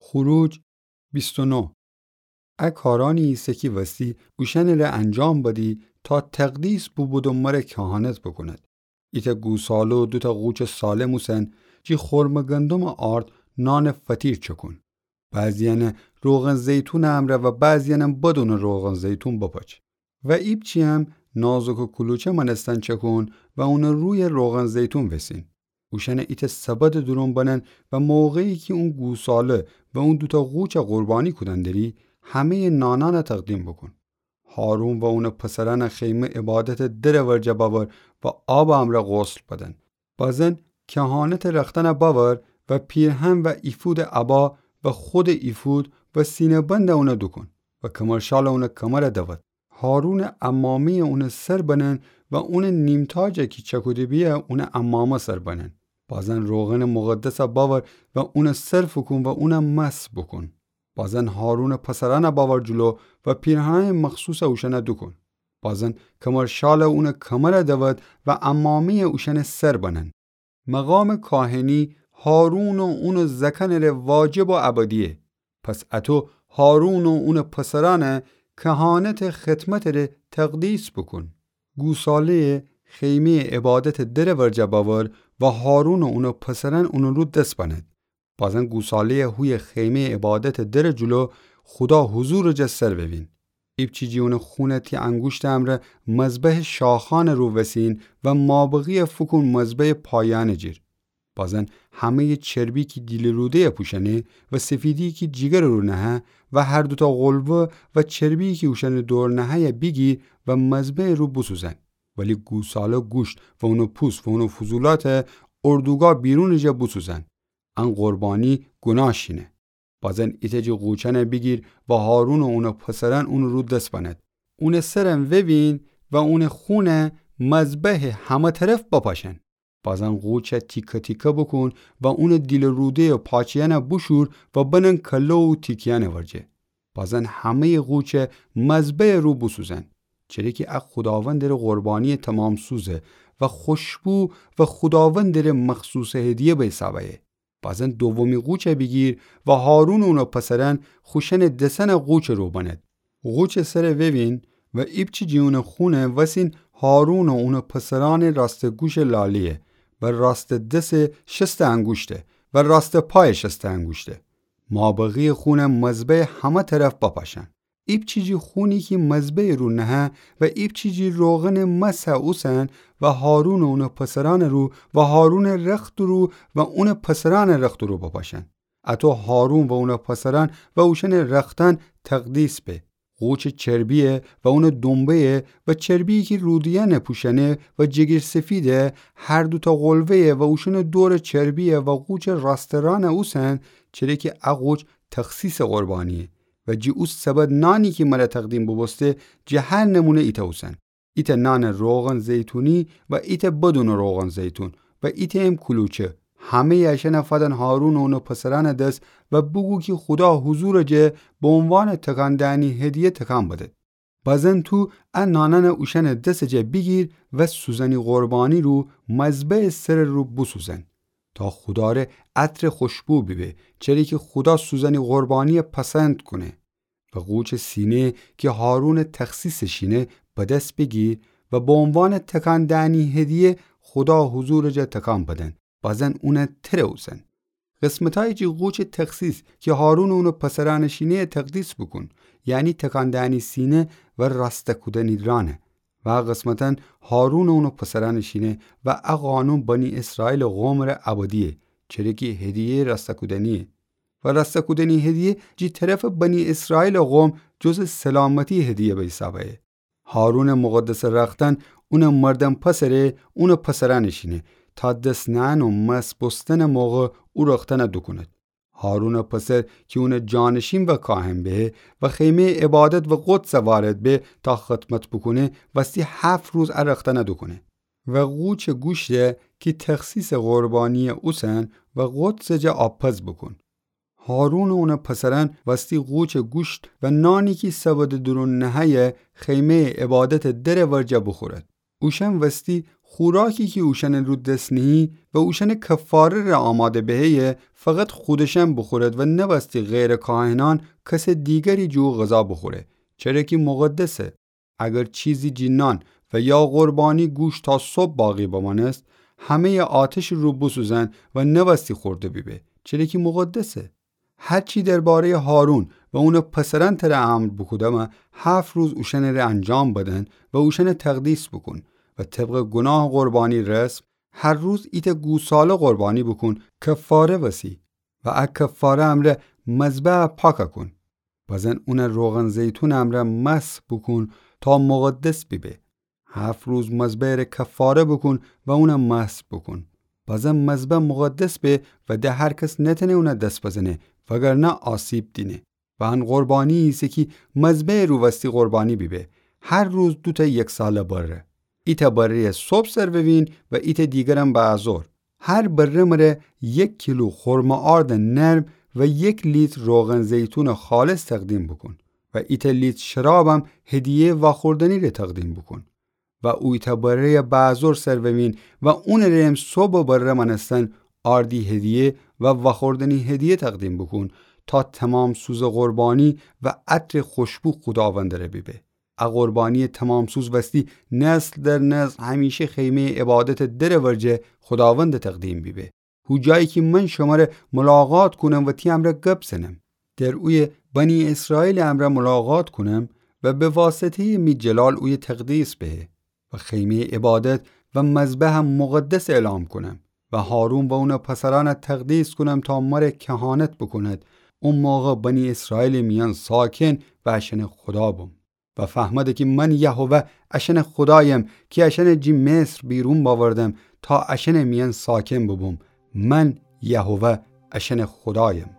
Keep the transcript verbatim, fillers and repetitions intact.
خروج بیست و نه. ا کارأنی ایسه کی وستی اوشأنٚره انجام بدی تا تقدیس بوبود و مره کهانت بوکوند. ایتأ گوساله و دوتأ قوچٚ سالم اوسن، جی خرمٚ گندمٚ آرد نانٚ فطیر چکون. بعضیأنه روغن زیتونٚ امرأ و بعضیأنم بدونٚ روغن زیتون بپچ. و ایپچی‌یم نازکٚ کلوچه مأنستن چکون و اونٚ روی روغن زیتون وسین. اوشأنه ایتأ سبدٚ دورون بنن و موقعی کی اون گوساله و اون دوتأ قوچه قربانی کودن دری، همه‌یٚ نانأنه تقدیم بوکون. هارون و اونٚ پسرأنه خیمه عبادتٚ درٚ ورجه بأور و آبٚ امرأ غسل بدن. بازن کهانتٚ رختأنه بأور و پیرهن و افودٚ عبا و خودٚ افود و سینه‌بنده اونه دوکون و کمرشاله اونٚ کمره دود. هارونٚ عمامه‌یه اونٚ سر بنن و اونٚ نیمتاجه کی چکوده بیه اونٚ عمامه سر بنن. بازن روغنٚ مقدسه بأور و اونه سر فوکون و اونه مسح بوکون. بازن هارونٚ پسرأنه بأور جلو و پیرهنأنٚ مخصوصه اوشأنه دوکون. بازن کمرشاله اونٚ کمره دود و عمامه‌یه اوشأنٚ سر بنن. مقامٚ کاهنی هارون و اونٚ زأکأنٚره واجب و ابدییه. پس اطو هارون و اونٚ پسرأنه کهانتٚ خدمتٚره تقدیس بوکون. گوساله‌یه خیمه‌یٚ عبادتٚ درٚ ورجه بأور و هارون و اونٚ پسرأن اونٚ رو دس بنید. بازن گوساله‌یه هویه خیمه‌یٚ عبادتٚ درٚ جلو خودا حضورٚ جا سر ووین. ایپچی جی اونٚ خونه تی انگوشتٚ امرأ مذبحٚ شاخأنٚ رو وسین و مابقییه فوکون مذبحٚ پایه‌یأنٚ جیر. بازن همه‌یٚ چربی کی دیلٚ روده‌یه پوشأنه و سفیدی کی جیگرٚ رو نهه و هر دوتأ قلوه و چربی کی اوشأنٚ دور نهه‌یه بیگیر و مذبحٚ رو بوسوزن. ولی گوساله گوشت و اونٚ پوست و اونٚ فضولات اردوگاه بیرونٚ جا بوسوزن. ان قربانی گوناه شینه. بازن ایتأ جی قوچأنه بیگیر و هارون و اونٚ پسرأن اونٚ رو دس بنید. اونٚ سرم ووین و اونٚ خونه مذبحٚ همه طرف بپاشن. بازن قوچه تیکه تیکه بوکون و اونٚ دیلٚ روده‌یٚ پاچه‌یأنه بوشور و بنن کله و تیکه‌یأنٚ ورجه. بازن همه‌یٚ قوچه مذبحٚ رو بوسوزن. چره کی ا خوداوندٚره قربانییٚ تومام‌سوزه و خوشبو و خوداوندٚره مخصوصٚ هدیه به حساب ایه. بازن دومی قوچه بیگیر و هارون و اونٚ پسرأن خوشأنٚ دسأنه قوچٚ رو بنید. قوچٚ سره ووین و ایپچی جی اونٚ خونه وسین هارون و اونٚ پسرأنٚ راستٚ گوشٚ لالیه و راستٚ دسٚ شستٚ انگوشته و راستٚ پایٚ شستٚ انگوشته. مابقییٚ خونه مذبحٚ همه طرف بپاشن. ایپچی جی خونی کی مذبحٚ رو نهه و ایپچی جی روغنٚ مسحٚ اوسن و هارون و اونٚ پسرأنٚ رو و هارونٚ رختٚ رو و اونٚ پسرأنٚ رختٚ رو بپاشن. اطو هارون و اونٚ پسرأن و اوشأنٚ رختأن تقدیس به. قوچٚ چربییه و اونٚ دونبه‌یه و چربییی کی روده‌یأنه پوشأنه و جیگرسفیده، هر دوتأ قلوه‌یه و اوشأنٚ دورٚ چربییه و قوچٚ راستٚ رانه اوسن، چره کی ا قوچ تخصیصٚ قربانییه. و جی او سبد نانی کی مره تقدیم بوبوسته، جٚه هر نمونه ایتأ اوسن. ایتأ نانٚ روغن زیتونی و ایتأ بدونٚ روغن زیتون و ایتأیم کلوچه. همه‌یٚ اشأنه فدن هارون و اونٚ پسرأنٚ دس و بوگو کی خودا حضورٚ جه به عنوانٚ تکان دئنی هدیه تکان بدید. بازن تو ا نانأنه اوشأنٚ دسٚ جه بیگیر و سوزنی قربانی رو مذبحٚ سرٚ رو بوسوزن. تا خوداره عطرٚ خوشبو بیبه، چره کی خودا سوزنی قربانییه پسند کونه. و قوچٚ سینه کی هارونٚ تخصیصٚ شینه به دس بیگیر و به عنوانٚ تکان دئنی هدیه خودا حضورٚ جا تکان بدن. بازن اونه تره اوسن. قسمتأیی جی قوچٚ تخصیص کی هارون و اونٚ پسرأنٚ شینه‌یه تقدیس بوکون، یعنی تکان دئنی سینه و راسته کودنی رانه. و ا قسمتأن هارون و اونٚ پسرأنٚ شینه و ا قانون بنی اسرائیلٚ قومٚ ره ابدییه، چره کی هدیه‌یٚ راسته کودنییه. و راسته کودنی هدیه جی طرفٚ بنی اسرائیلٚ قوم جزٚ سلامتی هدیه به حساب ایه. هارونٚ مقدسٚ رختأن اونٚ مردأن پسره اونٚ پسرأنٚ شینه، تا دس نئن و مسح بوستنٚ موقع او رختأنه دوکونید. هارونٚ پسر کی اونٚ جانشین و کاهن به و خیمه‌یٚ عبادت و قدسه وارد به تا خدمت بوکونه، وستی هفت روز ا رختأنه دوکونه. و قوچٚ گوشته کی تخصیصٚ قربانییٚ اوسن و قدسٚ جا آبپز بوکون. هارون و اونٚ پسرأن وستی قوچٚ گوشت و نانی کی سبدٚ دورون نهه‌یه خیمه‌یٚ عبادتٚ درٚ ورجه بوخورید. اوشأن وستی خوراکی کی اوشأنٚ رو دس نیهی و اوشأنٚ کفاره ره آماده بهه‌یه، فقط خودشأن بوخورد و نوستی غیرٚ کاهنأن کسٚ دیگری جٚه او غذا بوخوره، چره کی مقدسه. اگر چیزی جینأن و یا قربانی گوش تا صبح باقی بمأنست، همه‌یٚ آتشٚ رو بوسوزأن و نوستی خورده بیبه، چره کی مقدسه. هر چی درباره‌یٚ هارون و اونٚ پسرأن تره امر بوکودم، هفت روز اوشأنٚ ره انجام بدن و اوشأنٚ تقدیس بوکون و طبقٚ گوناه قربانی رسم، هر روز ایتأ گوساله قربانی بوکون کفاره وسی و ا کفاره امرأ مذبح پاک کون. بزن اون روغن زیتونٚ امرأ مسح بوکون تا مقدس بیبه. هفت روز مذبحٚ ره کفاره بوکون و اون مسح بوکون. بزن مذبح مقدس به و ده هر کس نتأنه اون دس بزنه، وگرنه آسیب دینه. و ان قربانی ایسه کی مذبحٚ رو وستی قربانی بیبه، هر روز دوتأ یک‌ساله بره. ایتأ بره‌یٚ صبح سر بوین و ایتأ دیگرم بعدظهر. هر بره مره یک کیلو خرمٚ آردٚ نرم و یک لیتر روغن زیتونٚ خالص تقدیم بوکون و ایتأ لیتر شرابم هدیه‌یٚ واخوردنی ره تقدیم بوکون. و او ایتأ بره‌یٚ بعدظهر سر بوین و اونٚ ره‌م صبحٚ بره مأنستن آردی هدیه و واخوردنی هدیه تقدیم بوکون تا تمام‌سوزٚ قربانی و عطرٚ خوشبو خوداوندٚ ره بیبه. ا قربانییٚ تمام‌سوز وستی نسل در نسل همیشه خیمه‌یٚ عبادتٚ درٚ ورجه خوداوند تقدیم بیبه. هو جایی کی من شمره ملاقات کونم و تی امرأ گب زنم. در اویه بنی اسرائیلٚ امرأ ملاقات کونم و به واسطه‌یٚ می جلال اویه تقدیس بهه و خیمه‌یٚ عبادت و مذبحم مقدس اعلام کونم و هارون و اونٚ پسرأن تقدیس کونم تا مره کهانت بوکوند. او موقع بنی اسرائیلٚ میأن ساکن و اشأنٚ خودا بوم. و فهمده کی من یهوه اشأنٚ خودایم کی اشأنٚ جی مصر بیرون بأوردم تا اشأنٚ میأن ساکن بوبوم. من یهوه اشأنٚ خودایم.